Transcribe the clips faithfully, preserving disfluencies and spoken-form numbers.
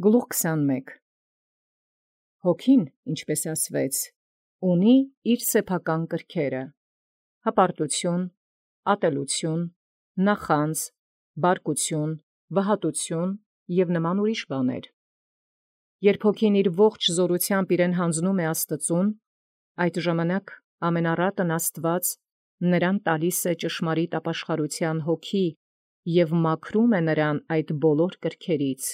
Գլուխ քսանմեկ. Հոգին, ինչպես ասվեց, ունի իր սեփական կրքերը. հպարտություն, ատելություն, նախանձ, բարկություն, վհատություն և նման ուրիշ բաներ։ Երբ հոգին իր ողջ զորութեամբ իրեն հանձնում է Աստծուն, այդ ժամանակ ամենառատն Աստված նրան տալիս է ճշմարիտ ապաշխարութեան հոգի և մաքրում է նրան այդ բոլոր կրքերից,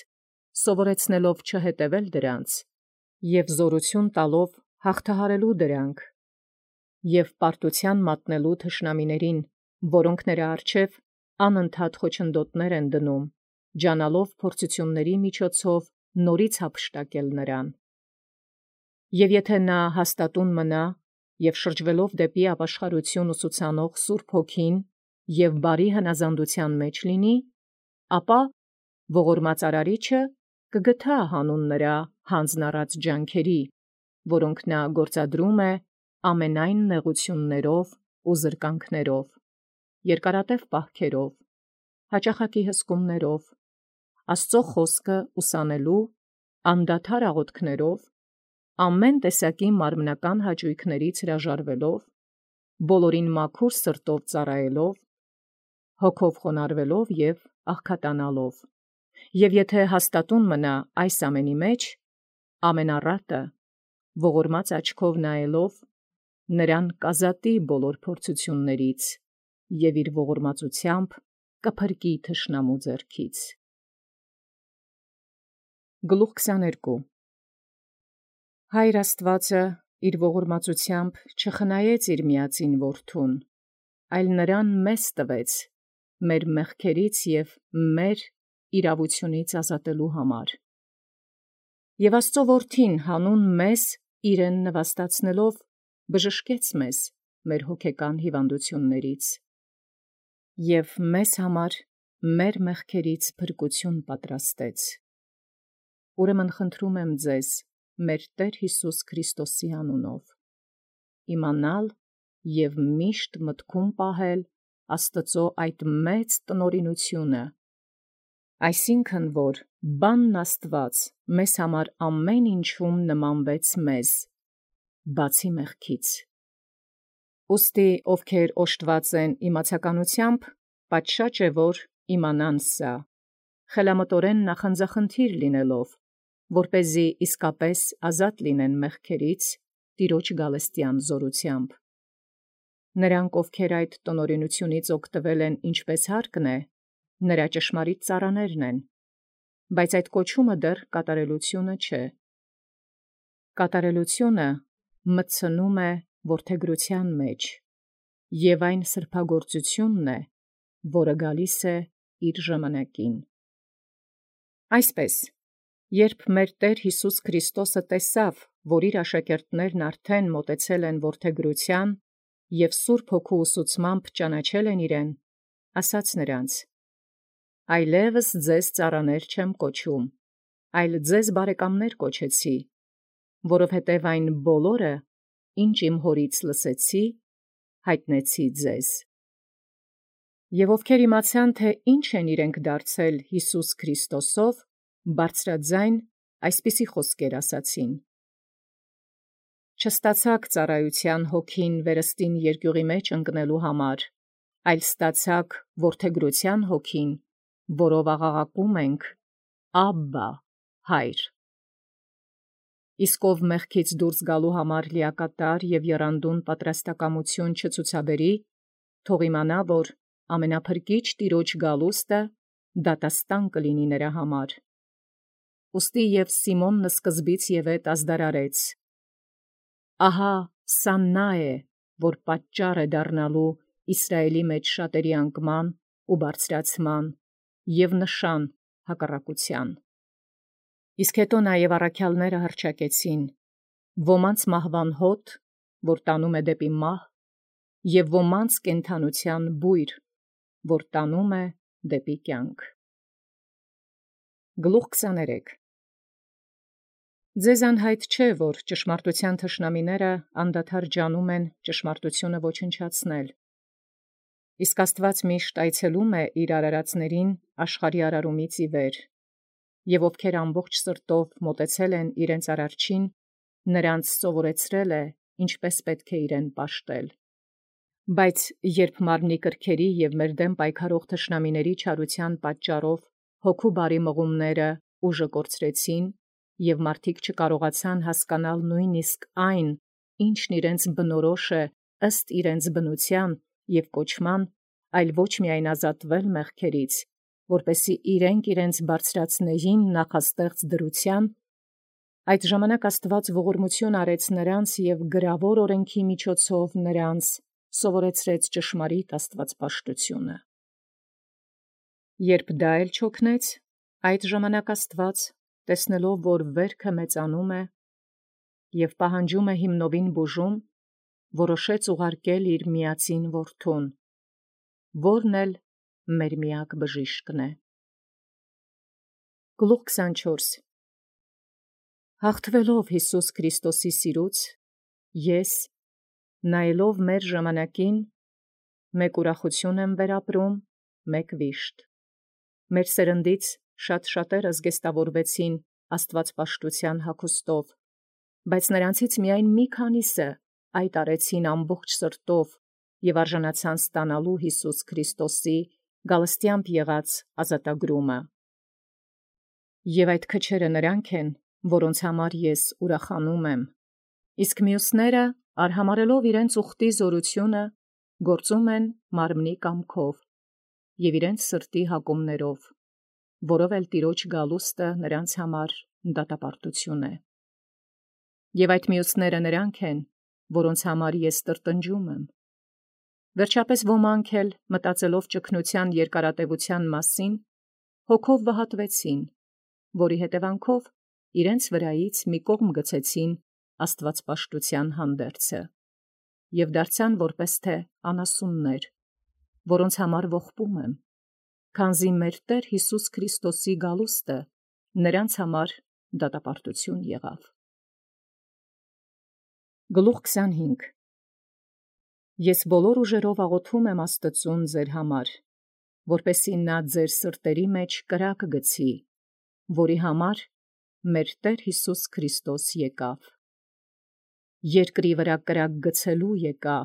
սովորեցնելով չհետևել դրանց և զորություն տալով հաղթահարելու դրանք և պարտութեան մատնելու թշնամիներին, որոնք նրա առջև անընդհատ խոչընդոտներ են դնում, ջանալով փորձութիւնացն միջոցով նորից յափշտակել նրան։ Եւ եթէ նա հաստատուն մնա և շրջվելով դեպի ապաշխարութիւն ուսուցանող Սուրբ Հոգին և բարի հնազանդութեան մեջ լինի, ապա ողորմած Արարիչը կգթայ հանուն նրա յանձն առած ջանքերի, որոնք նա գործադրում է ամենայն նեղութիւններով ու զրկանքներով, երկարատև պահքերով, յաճախակի հսկումներով, Աստուծոյ խոսքը ուսանելու, անդադար աղաւթքներով, ամեն տեսակի մարմնական հաճոյքներից հրաժարվելով, բոլորին մաքուր սրտով ծառայելով, հոգով խոնարհվելով և աղքատանալով, և եթէ հաստատուն մնա այս ամենի մեջ, ամենառատը ողորմած աչքով նայելով, նրան կազատի բոլոր փորձութիւնացն և իր ողորմածութեամբ կփրկի թշնամու ձեռքից։ Գլուխ քսաներկու. Հայր Աստուածը իր ողորմածութեամբ չխնայեց իր միածին Որդուն, այլ նրան մեզ տվեց մեր մեղքերից և մեր իրաւութիւնից ազատելու համար. և Աստուծոյ Որդին հանուն մեզ իրեն նվաստացնելով բժշկեց մեզ մեր հոգեկան հիվանդութիւնացն և մեզ համար մեր մեղքերից փրկութիւն պատրաստեց։ Ուրեմն խնդրում եմ ձեզ մեր Տէր Յիսուս Քրիստոսի անունով, իմանալ և միշտ մտքում պահել Աստուծոյ այդ մեծ տնօրինութիւնը, այսինքն՝ որ բանն Աստուած մեզ համար ամեն ինչում նմանվեց մեզ, բացի մեղքից։ Ուստի ովքեր օժտված են իմացականութեամբ, պատշաճ է, որ իմանան սա, խելամտորեն նախանձախնդիր լինելով, որպեսզի իսկապես ազատ լինեն մեղքերից Տեառն գալստեան զօրութեամբ։ Նրանք, ովքեր այդ տնօրինութիւնից օգտվել են ինչպէս հարկն է, նրա ճշմարիտ ծառաներն են, բայց այդ կոչումը դեռ կատարելութիւնը չէ։ Կատարելութիւնը մտցնում է որդեգրութեան մեջ, և այն սրբագործութիւնն է, որը գալիս է իր ժամանակին։ Այսպէս երբ մեր Տէր Յիսուս Քրիստոսը տեսաւ, որ իր աշակերտներն արդեն մոտեցել են որդեգրութեան և Սուրբ Հոգու ուսուցմամբ ճանաչել են իրեն, ասաց նոցա. «Այլևս ձեզ ծառաներ չեմ կոչում, այլ ձեզ բարեկամներ կոչեցի, որովհետև այն բոլորը, ինչ իմ Հօրից լսեցի, յայտնեցի ձեզ»։ Եւ ովքեր իմացան, թէ ինչ են իրենք դարձել Յիսուս Քրիստոսով, բարձրաձայն այսպիսի խոսքեր ասացին. «Չստացաք ծառայութեան հոգին վերստին երկիւղի մեջ ընկնելոյ համար, այլ ստացաք որդեգրութեան հոգին, որով աղաղակում ենք. «Աբբա, Հայր»։ Իսկ ով մեղքից դուրս գալու համար լիակատար և եռանդուն պատրաստակամութիւն չցուցաբերի, թող իմանա, որ ամենափրկիչ Տեառն գալուստը դատաստան կլինի նրա համար։ Ուստի և Սիմոնն սկզբից և ետ ազդարարեց. «Ահա սա նա է, որ պատճառ է դառնալու Իսրայէլի մեջ շատերի անկման ու բարձրացման և նշան հակառակութեան»։ Իսկ հետո նաև առաքեալս հռչակեցին. ոմանց մահվան հոտ, որ տանում է դեպի մահ, և ոմանց կենդանութեան բույր, որ տանում է դեպի կյանք։ Գլուխ քսաներեք. Ձեզ անհայտ չէ, որ ճշմարտութեան թշնամիներն անդադար ջանում են ճշմարտութիւնը ոչնչացնել. իսկ Աստուած միշտ այցելում է իւր արարածացն աշխարհի արարումից ի վեր, եւ ովքեր ամբողջ սրտով մոտեցել են իրենց արարչին, նրանց սովորեցրել է, ինչպես պետք է իրեն պաշտել։ Բայց երբ մարմնի կրքերի եւ մեր դեմ պայքարող թշնամիների չարության պատճառով հոգու բարի մղումները ուժը կորցրեցին, եւ մարդիկ չկարողացան հասկանալ նույնիսկ այն, ինչն իրենց բնորոշ է ըստ իրենց բնության եւ կոչման, այլ ոչ միայն ազատվել մեղքերից, որպեսզի իրենք իրենց բարձրացնեին նախաստեղծ դրության, այդ ժամանակ Աստված ողորմություն արեց նրանց եւ գրավոր օրենքի միջոցով նրանց սովորեցրեց ճշմարիտ աստվածպաշտությունը։ Երբ դա էլ չօգնեց, այդ ժամանակ Աստված, տեսնելով, որ վերքը մեծանում է եւ պահանջում է հիմնովին բուժում, որոշեց ուղարկել իր միածին որդուն, որն էլ մեր միակ բժիշկն է։ Գլուխ քսանչորս Հաղթվելով Հիսուս Քրիստոսի սիրուց, ես, նայելով մեր ժամանակին, մեկ ուրախություն եմ վերապրում, մեկ վիշտ։ Մեր սերնդից շատ շատերը զգեստավորվեցին աստվածպաշտության հագուստով, բայց նրանցից միայն մի քանիսը այդ արեցին ամբողջ սրտով եւ արժանացան ստանալու Հիսուս Քրիստոսի գալստյամբ եղած ազատագրումը։ Եվ այդ քչերը նրանք են, որոնց համար ես ուրախանում եմ, իսկ մյուսները, արհամարելով իրենց ուխտի զորությունը, գործում են մարմնի կամքով եւ իրենց սրտի հակումներով, որով էլ Տիրոջ գալուստը նրանց համար դատապարտություն է։ Եվ այդ մյուսները նրանք են, որոնց համար ես տրտնջում եմ։ Վերջապես ոմանք էլ, մտածելով ճգնության երկարատևության մասին, հոգով վհատվեցին, որի հետևանքով իրենց վրայից մի կողմ գցեցին աստվածպաշտության հանդերձը եւ դարձան որպես թե անասուններ, որոնց համար ողբում եմ, քանզի մեր Տեր Հիսուս Քրիստոսի գալուստը նրանց համար դատապարտություն եղավ։ Գլուխ քսանհինգ Ես բոլոր ուժերով աղոթում եմ Աստծուն ձեր համար, որպեսզի նա ձեր սրտերի մեջ կրակ գցի, որի համար մեր Տեր Հիսուս Քրիստոս եկավ։ Երկրի վրա կրակ գցելու եկա,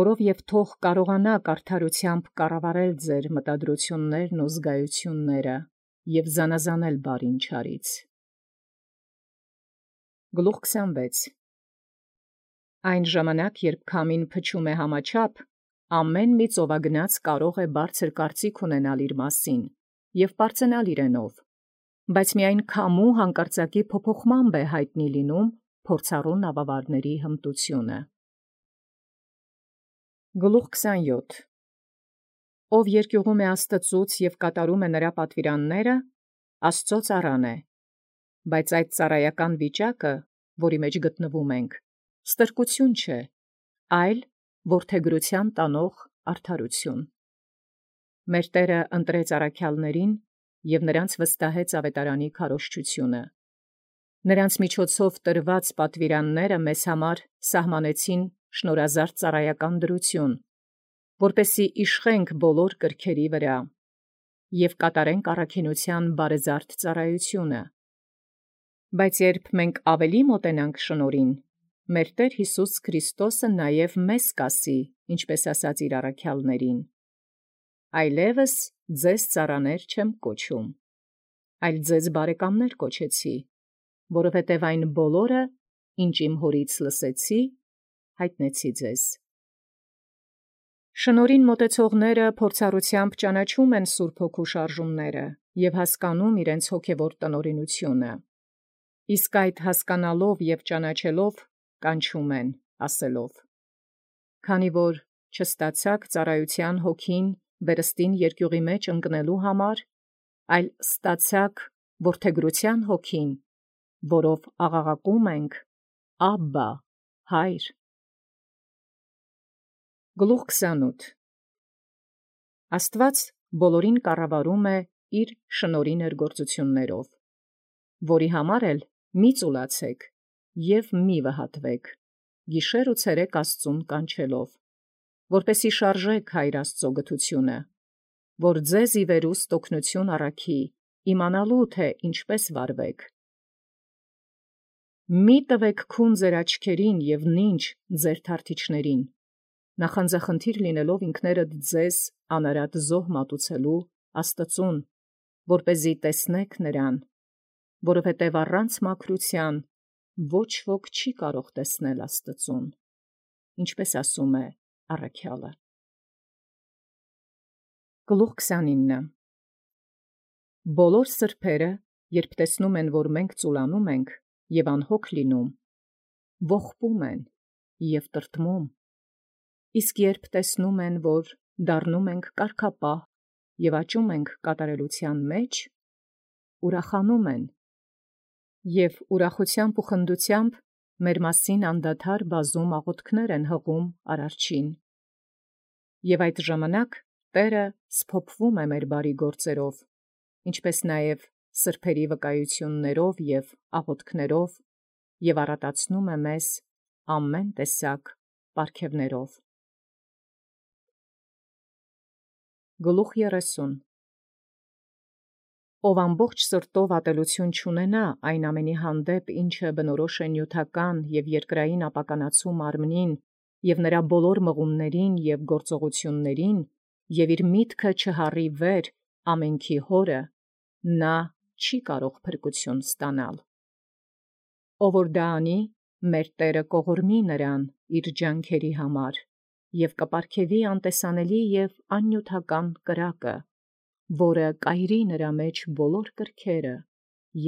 որով եւ թող կարողանաք արդարությամբ կառավարել ձեր մտադրություններն ու զգայությունները եւ զանազանել բարին չարից։ Գլուխ քսանվեց Այն ժամանակ, երբ քամին փչում է համաչափ, ամեն մի ծովագնաց կարող է բարձր կարծիք ունենալ իր մասին եւ պարծենալ իրենով, բայց միայն քամու հանկարծակի փոփոխմամբ է հայտնի լինում փորձառու նավավարների հմտությունը։ Գլուխ քսանյոթ Ով երկյուղում է Աստծուց եւ կատարում է նրա պատվիրանները, Աստծո ծառան է, բայց այդ ծառայական վիճակը, որի մեջ գտնվում ենք, ստրկություն չէ, այլ որդեգրության տանող արդարություն։ Մեր Տերը ընտրեց առաքյալներին եւ նրանց վստահեց ավետարանի քարոզչությունը։ Նրանց միջոցով տրված պատվիրանները մեզ համար սահմանեցին շնորհազարդ ծառայական դրություն, որպեսզի իշխենք բոլոր կրքերի վրա եւ կատարենք առաքինության բարեզարդ ծառայությունը։ Բայց երբ մենք ավելի մոտենանք շնորհին, մեր Տեր Հիսուս Քրիստոսը նաև մեզ կասի, ինչպես ասաց իր առաքյալներին. «Այլևս ձեզ ծառաներ չեմ կոչում, այլ ձեզ բարեկամներ կոչեցի, որովհետև այն բոլորը, ինչ իմ հորից լսեցի, հայտնեցի ձեզ»։ Շնորհին մոտեցողները փորձառությամբ ճանաչում են Սուրբ Հոգու շարժումները եւ հասկանում իրենց հոգևոր տնօրինությունը, իսկ այդ հասկանալով եւ ճանաչելով կանչում են, ասելով. «Քանի որ չստացաք ծառայության հոգին վերստին երկյուղի մեջ ընկնելու համար, այլ ստացաք որդեգրության հոգին, որով աղաղակում ենք. Աբբա, Հայր»։ Գլուխ քսանութ Աստված բոլորին կառավարում է իր շնորհի ներգործություններով, որի համար էլ մի ծուլացեք և մի վհատվեք, գիշեր ու ցերեկ Աստծուն կանչելով, որպեսզի շարժեք Հայր Աստծո գթությունը, որ ձեզ ի վերուստ օգնություն առաքի իմանալու թե ինչպես վարվեք։ Մի տվեք քուն ձեր աչքերին և նինջ ձեր թարթիչներին, նախանձախնդիր լինելով ինքներդ ձեզ անարատ զոհ մատուցելու Աստծուն, որպեսզի տեսնեք նրան, որովհետև առանց մաքրութեան ոչ ոք չի կարող տեսնել Աստծուն, ինչպես ասում է առաքյալը։ Գլուխ քսանինը Բոլոր սրբերը, երբ տեսնում են, որ մենք ծուլանում ենք և անհոգ լինում, ողբում են և տրտմում, իսկ երբ տեսնում են, որ դառնում ենք կարգապահ և աճում ենք կատարելության մեջ, ուրախանում են և ուրախությամբ ու խնդությամբ մեր մասին անդադար բազում աղոթքներ են հղում Արարչին։ Եվ այդ ժամանակ Տէրը սփոփվում է մեր բարի գործերով, ինչպես նաև սրբերի վկայություններով և աղոթքներով, և առատացնում է մեզ ամեն տեսակ պարգևներով։ Գլուխ երեսուն Ով ամբողջ սրտով ատելություն չունենա այն ամենի հանդեպ, ինչը բնորոշ է նյութական և երկրային ապականացու մարմնին և նրա բոլոր մղումներին և գործողություններին, և իր միտքը չհառի վեր ամենքի Հորը, նա չի կարող փրկություն ստանալ։ Ով որ դա անի, մեր Տէրը կողորմի նրան իր ջանքերի համար և կպարգևի անտեսանելի և աննյութական կրակը, որը կայրի նրա մեջ բոլոր կրքերը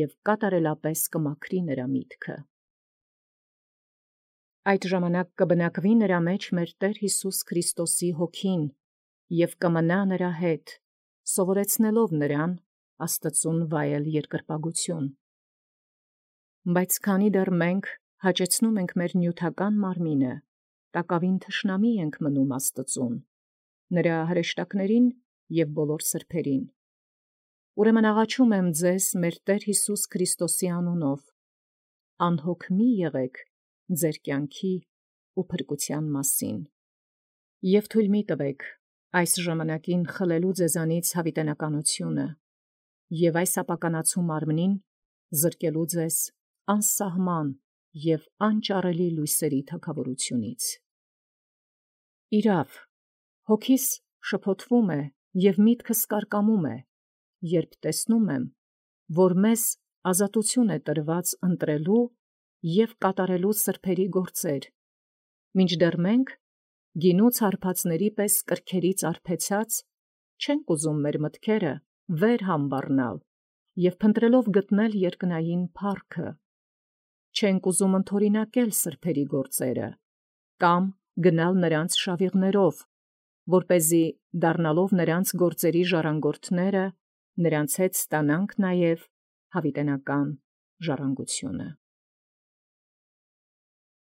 և կատարելապես կմաքրի նրա միտքը։ Այդ ժամանակ կբնակվի նրա մեջ մեր Տեր Յիսուս Քրիստոսի Հոգին և կմնա նրա հետ, սովորեցնելով նրան Աստծուն վայել երկրպագություն։ Բայց քանի դեռ մենք հաճեցնում ենք մեր նյութական մարմինը, տակավին թշնամի ենք մնում Աստծուն, նրա հրեշտակներին և բոլոր սրբերին։ Ուրեմն աղաչում եմ ձեզ մեր Տեր Յիսուս Քրիստոսի անունով, անհոգ մի եղեք ձեր կյանքի ու փրկության մասին, և թույլ մի տվեք այս ժամանակին խլելու ձեզանից յաւիտենականությունը և այս ապականացու մարմնին զրկելու ձեզ անսահման և անճարելի լույսերի թագաւորութիւնից։ Իրաւ, հոգիս շփոթվում է և միտքս կարկամում է, երբ տեսնում եմ, որ մեզ ազատութիւն է տրված ընտրելու և կատարելու սրբերի գործեր, մինչդեռ մենք, գինուց հարբածների պես կրքերից արբեցած, չենք ուզում մեր մտքերը վեր համբառնալ և փնտրելով գտնել երկնային փառքը, չենք ուզում ընդօրինակել սրբերի գործերը կամ գնալ նրանց շավիղներով, որպեսզի դառնալով նրանց գործերի ժառանգորդները, նրանց հետ ստանանք նաև յաւիտենական ժառանգությունը։